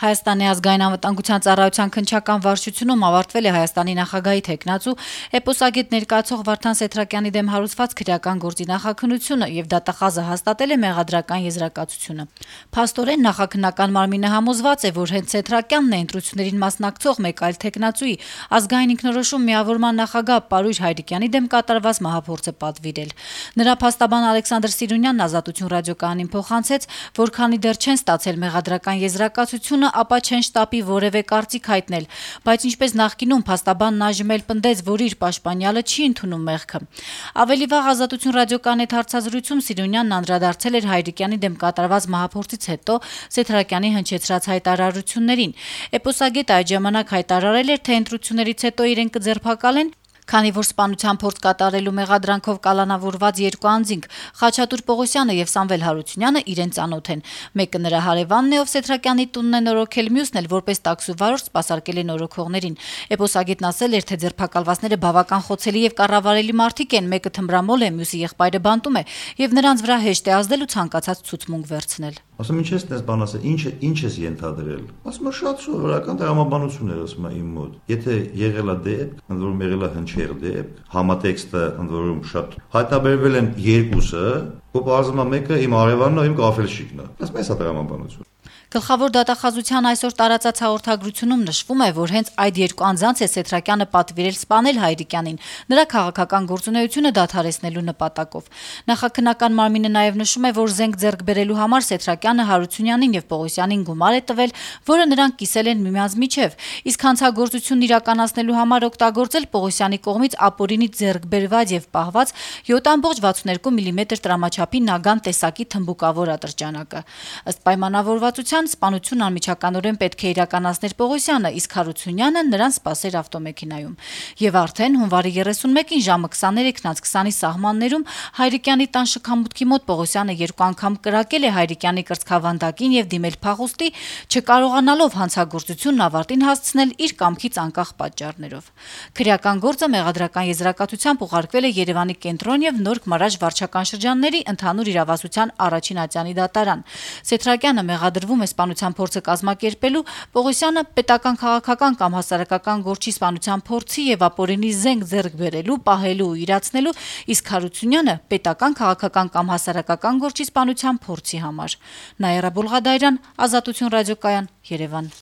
Հայաստանի ազգային անվտանգության ծառայության քննչական վարչությունում ավարտվել է Հայաստանի նախագահի թեկնածու էպոսագետ ներկայացող Վարդան Սեթրակյանի դեմ հարուցված քրեական գործի նախաքննությունը եւ դատախազը հաստատել է մեղադրական եզրակացությունը։ Փաստորեն նախաքննական մարմինը համոզված է, որ հենց Սեթրակյանն է ընտրություններին մասնակցող մեկ այլ թեկնածուի ազգային ինքնորոշում միավորման նախագահ Պարույր Հայրիկյանի դեմ կատարված մահափորձը պատվիրել։ Նրա փաստաբան Ալեքսանդր Սիրունյանն Ազատություն ռադիոկայանին փոխանցեց, որ քանի դեռ չեն ստացել մեղադրական եզրակացությունը, ապա չեն շտապի որևէ կարծիք հայտնել, բայց ինչպես նախկինում փաստաբանն այժմ էլ պնդեց, որ իր պաշտպանյալը չի ընդունում մեղքը։ Ավելի վաղ Ազատություն ռադիոկայանի հետ հարցազրույցում Սիրունյանն անդրադարձել էր Հայրիկյանի դեմ կատարված մահափորձից հետո Սեթրակյանի հնչեցրած հայտարարություններին։ Էպոսագետը այդ ժամանակ հայտարարել էր, թե ընտրություններից հետո իրեն կձերբակալեն, քանի որ սպանության փորձ կատարելու մեղադրանքով կալանավորված երկու անձինք Խաչատուր Պողոսյանը եւ Սամվել Հարությունյանը իրեն ծանոթ են։ Մեկը նրա հարևանն է, ով Սեթրակյանի տունն է նորոգել, մյուսն էլ որպես տաքսու վարորդ սպասարկել է նորոգողներին։ Էպոսագետն ասել էր, թե ձերբակալվածները բավական խոցելի եւ կառավարելի մարդիկ են, մեկը թմրամոլ է, մյուսի եղբայրը բանտում է եւ նրանց վրա հեշտ է ազդել ու ցանկացած ցուցմունք վերցնել։ Ասում ինչ ես դες բան ասել, ինչ ես ենթադրել։ Ասում է շատ սովորական տրամաբանություն էր, ասում է իմ մոտ։ Եթե եղել է դեպք, ընդ որում եղել է հնչեղ դեպք, համատեքստը ընդ որում շատ հայտնաբերվել են երկուսը, ու բարձրացնում է մեկը իմ արևանն ու իմ կաֆելշիկն է։ Ասում է սա տրամաբանություն։ Գլխավոր դատախազության այսօր տարածած հաղորդագրությունում նշվում է, որ հենց այդ երկու անձանց է Սեթրակյանը պատվիրել սպանել Հայրիկյանին, նրա քաղաքական գործունեությունը դադարեցնելու նպատակով։ Նախաքննական մարմինը նաև նշում է, որ զենք ձեռք բերելու համար Սեթրակյանը Հարությունյանին եւ Պողոսյանին գումար է տվել, որը նրանք կիսել են միմյանց միջև, իսկ հանցագործությունն իրականացնելու համար օգտագործել Պողոսյանի կողմից ապօրինի ձեռք բերված եւ պահված 7.62 մմ տրամաչափի նագան տեսակի թմբուկավոր ատրճանակը։ Ըստ պայմանավորվածության սպանությունն անմիջականորեն պետք է իրականացներ Պողոսյանը, իսկ Հարությունյանը նրան սպասեր ավտոմեքենայում։ Եվ արդեն հունվարի 31-ին ժամը 23:20-ի սահմաններում Հայրիկյանի տան շքամուտքի մոտ Պողոսյանը երկու անգամ կրակել է Հայրիկյանի կրծքավանդակին եւ դիմել փախուստի, չկարողանալով հանցագործությունն ավարտին հասցնել իր կամքից անկախ պատճառներով։ Քրեական գործը մեղադրական եզրակացությամբ ուղարկվել է Երևանի կենտրոն եւ Նորք Մարաժ վարչական շրջանների ընդհանուր իրավասության առաջին ատյանի դատարան։ Սեթրակյանը մեղադրվում է սպանության փորձը կազմակերպելու, Պողոսյանը պետական քաղաքական կամ հասարակական գործի սպանության փորձի եւ ապօրինի զենք ձեռք բերելու, պահելու ու իրացնելու, իսկ Հարությունյանը պետական քաղաքական կամ հասարակական գործի սպանության փորձի համար։ Նաիրա Բոլղադարյան, Ազատություն ռադիոկայան, Երևան։